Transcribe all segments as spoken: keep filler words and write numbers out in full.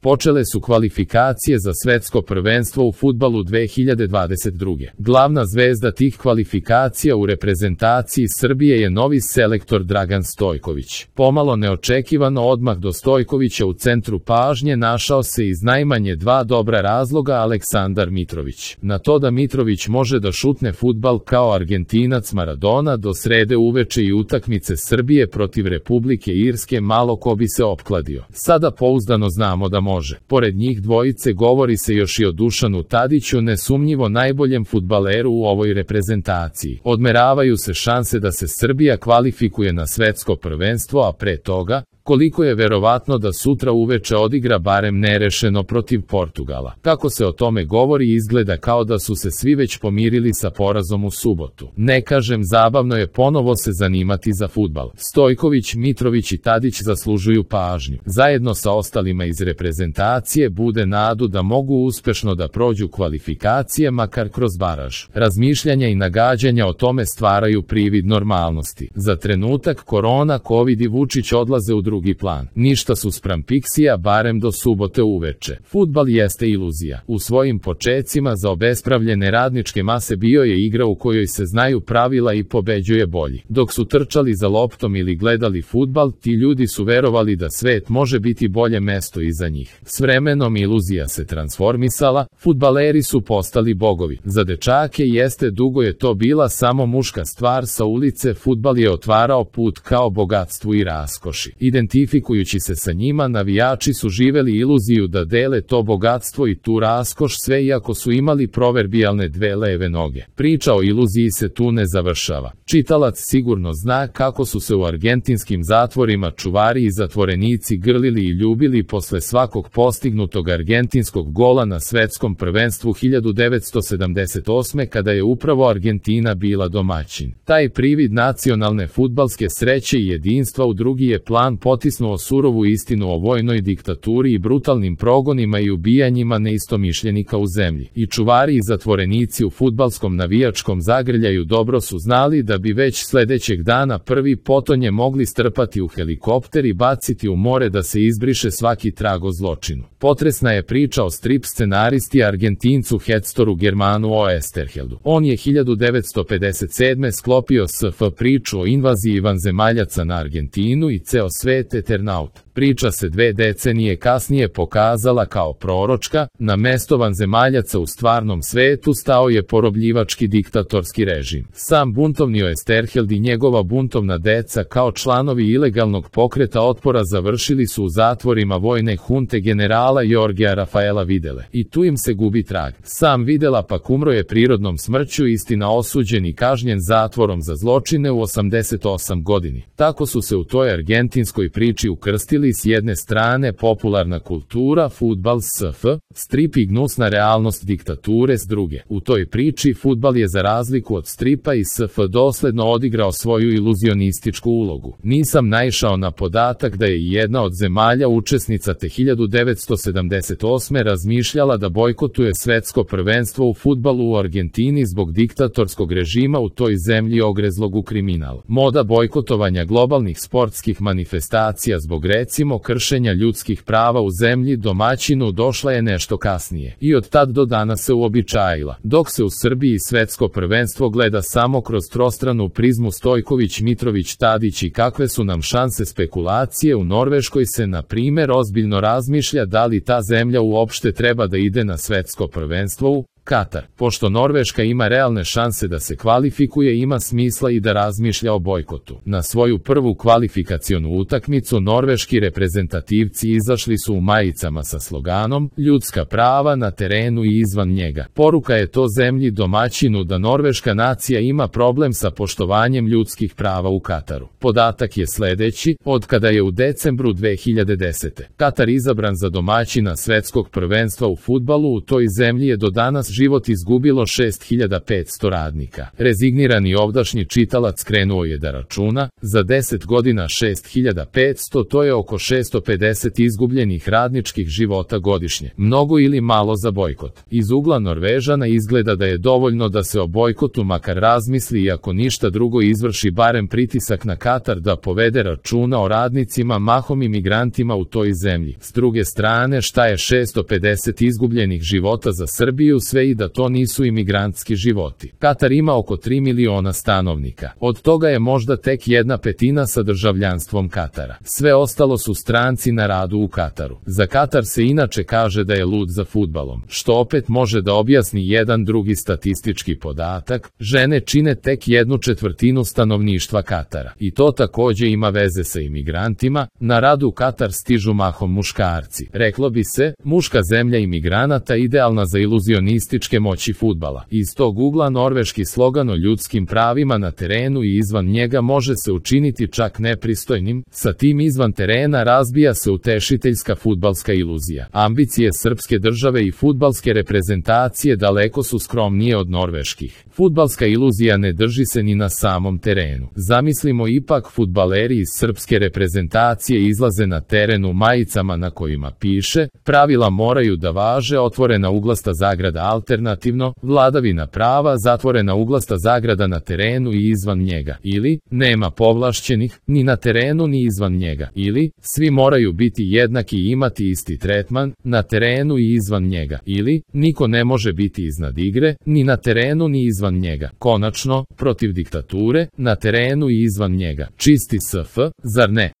Počele su kvalifikacije za svetsko prvenstvo u fudbalu dve hiljade dvadeset druge. Glavna zvezda tih kvalifikacija u reprezentaciji Srbije je novi selektor Dragan Stojković. Pomalo neočekivano odmah do Stojkovića u centru pažnje našao se iz najmanje dva dobra razloga Aleksandar Mitrović. Na to da Mitrović može da šutne fudbal kao Argentinac Maradona do srede uveče i utakmice Srbije protiv Republike Irske malo ko bi se opkladio. Sada pouzdano znamo da može. Pored njih dvojice govori se još i o Dušanu Tadiću, nesumnjivo najboljem fudbaleru u ovoj reprezentaciji. Odmeravaju se šanse da se Srbija kvalifikuje na svetsko prvenstvo, a pre toga, koliko je verovatno da sutra uveče odigra barem nerešeno protiv Portugala. Kako se o tome govori, izgleda kao da su se svi već pomirili sa porazom u subotu. Ne kažem, zabavno je ponovo se zanimati za fudbal. Stojković, Mitrović i Tadić zaslužuju pažnju. Zajedno sa ostalima iz reprezentacije bude nadu da mogu uspešno da prođu kvalifikacije, makar kroz baraž. Razmišljanja i nagađanja o tome stvaraju privid normalnosti. Za trenutak korona, covid i Vučić odlaze u drugi plan. Ništa su spram Pixija, barem do subote uveče. Fudbal jeste iluzija. U svojim počecima za obespravljene radničke mase bio je igra u kojoj se znaju pravila i pobeđuje bolji. Dok su trčali za loptom ili gledali fudbal, ti ljudi su verovali da svet može biti bolje mesto iza njih. S vremenom iluzija se transformisala, fudbaleri su postali bogovi. Za dečake jeste dugo je to bila samo muška stvar sa ulice, fudbal je otvarao put kao bogatstvu i raskoši. Identifikujući se sa njima, navijači su živeli iluziju da dele to bogatstvo i tu raskoš, sve iako su imali proverbijalne dve leve noge. Priča o iluziji se tu ne završava. Čitalac sigurno zna kako su se u argentinskim zatvorima čuvari i zatvorenici grlili i ljubili posle svakog postignutog argentinskog gola na svetskom prvenstvu hiljadu devetsto sedamdeset osme kada je upravo Argentina bila domaćin. Taj privid nacionalne fudbalske sreće i jedinstva u drugi je plan potisnuo surovu istinu o vojnoj diktaturi i brutalnim progonima i ubijanjima neistomišljenika u zemlji. I čuvari i zatvorenici u fudbalskom navijačkom zagrljaju dobro su znali da bi već sledećeg dana prvi potonje mogli strpati u helikopter i baciti u more da se izbriše svaki trag o zločinu. Potresna je priča o strip scenaristi Argentincu Hectoru Germanu Oesterheldu. On je hiljadu devetsto pedeset sedme sklopio S F priču o invaziji vanzemaljaca na Argentinu i ceo svet Eternaut. Priča se dve decenije kasnije pokazala kao proročka, na mesto vanzemaljaca u stvarnom svetu stao je porobljivački diktatorski režim. Sam buntovni Oesterheld i njegova buntovna deca kao članovi ilegalnog pokreta otpora završili su u zatvorima vojne hunte generala Jorgea Rafaela Videle. I tu im se gubi trag. Sam Videla pak umro je prirodnom smrću, istina osuđen i kažnjen zatvorom za zločine u osamdeset osam godini. Tako su se u toj argentinskoj priči ukrstili s jedne strane popularna kultura, fudbal, S F, strip i gnusna realnost diktature s druge. U toj priči fudbal je za razliku od stripa i S F dosledno odigrao svoju iluzionističku ulogu. Nisam naišao na podatak da je jedna od zemalja učesnica te hiljadu devetsto sedamdeset osme razmišljala da bojkotuje svetsko prvenstvo u fudbalu u Argentini zbog diktatorskog režima u toj zemlji ogrezlog u kriminal. Moda bojkotovanja globalnih sportskih manifestacija zbog recimo kršenja ljudskih prava u zemlji domaćinu došla je nešto kasnije i od tad do danas se uobičajila. Dok se u Srbiji svetsko prvenstvo gleda samo kroz trostranu prizmu Stojković, Mitrović, Tadić i kakve su nam šanse spekulacije, u Norveškoj se na primer ozbiljno razmišlja da li ta zemlja uopšte treba da ide na svetsko prvenstvo u Katar. Pošto Norveška ima realne šanse da se kvalifikuje, ima smisla i da razmišlja o bojkotu. Na svoju prvu kvalifikacionu utakmicu norveški reprezentativci izašli su u majicama sa sloganom "Ljudska prava na terenu i izvan njega". Poruka je to zemlji domaćinu da norveška nacija ima problem sa poštovanjem ljudskih prava u Kataru. Podatak je sledeći: od kada je u decembru dve hiljade desete. Katar izabran za domaćina svetskog prvenstva u fudbalu, u toj zemlji je do danas život izgubilo šest hiljada petsto radnika. Rezignirani ovdašnji čitalac krenuo je da računa, za deset godina šest hiljada petsto, to je oko šesto pedeset izgubljenih radničkih života godišnje. Mnogo ili malo za bojkot. Iz ugla Norvežana izgleda da je dovoljno da se o bojkotu makar razmisli i ako ništa drugo izvrši barem pritisak na Katar da povede računa o radnicima, mahom imigrantima u toj zemlji. S druge strane, šta je šesto pedeset izgubljenih života za Srbiju, sve i da to nisu imigrantski životi. Katar ima oko tri miliona stanovnika. Od toga je možda tek jedna petina sa državljanstvom Katara. Sve ostalo su stranci na radu u Kataru. Za Katar se inače kaže da je lud za fudbalom, što opet može da objasni jedan drugi statistički podatak: žene čine tek jednu četvrtinu stanovništva Katara. I to takođe ima veze sa imigrantima. Na radu u Katar stižu mahom muškarci. Reklo bi se, muška zemlja imigranata idealna za iluzionističke moći fudbala. Iz tog ugla norveški slogan o ljudskim pravima na terenu i izvan njega može se učiniti čak nepristojnim. Sa tim izvan terena razbija se utešiteljska fudbalska iluzija. Ambicije srpske države i fudbalske reprezentacije daleko su skromnije od norveških. Fudbalska iluzija ne drži se ni na samom terenu. Zamislimo ipak, fudbaleri iz srpske reprezentacije izlaze na teren u majicama na kojima piše: pravila moraju da važe, otvorena uglasta zagrada alternativno, vladavina prava, zatvorena uglasta zagrada na terenu i izvan njega, ili nema povlašćenih ni na terenu ni izvan njega, ili svi moraju biti jednaki i imati isti tretman na terenu i izvan njega, ili niko ne može biti iznad igre ni na terenu ni izvan njega. Konačno, protiv diktature na terenu i izvan njega. Čisti S F, zar ne?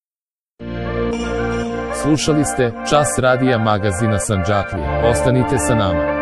Slušali ste Čas radija magazina Sandžaklije. Ostanite sa nama.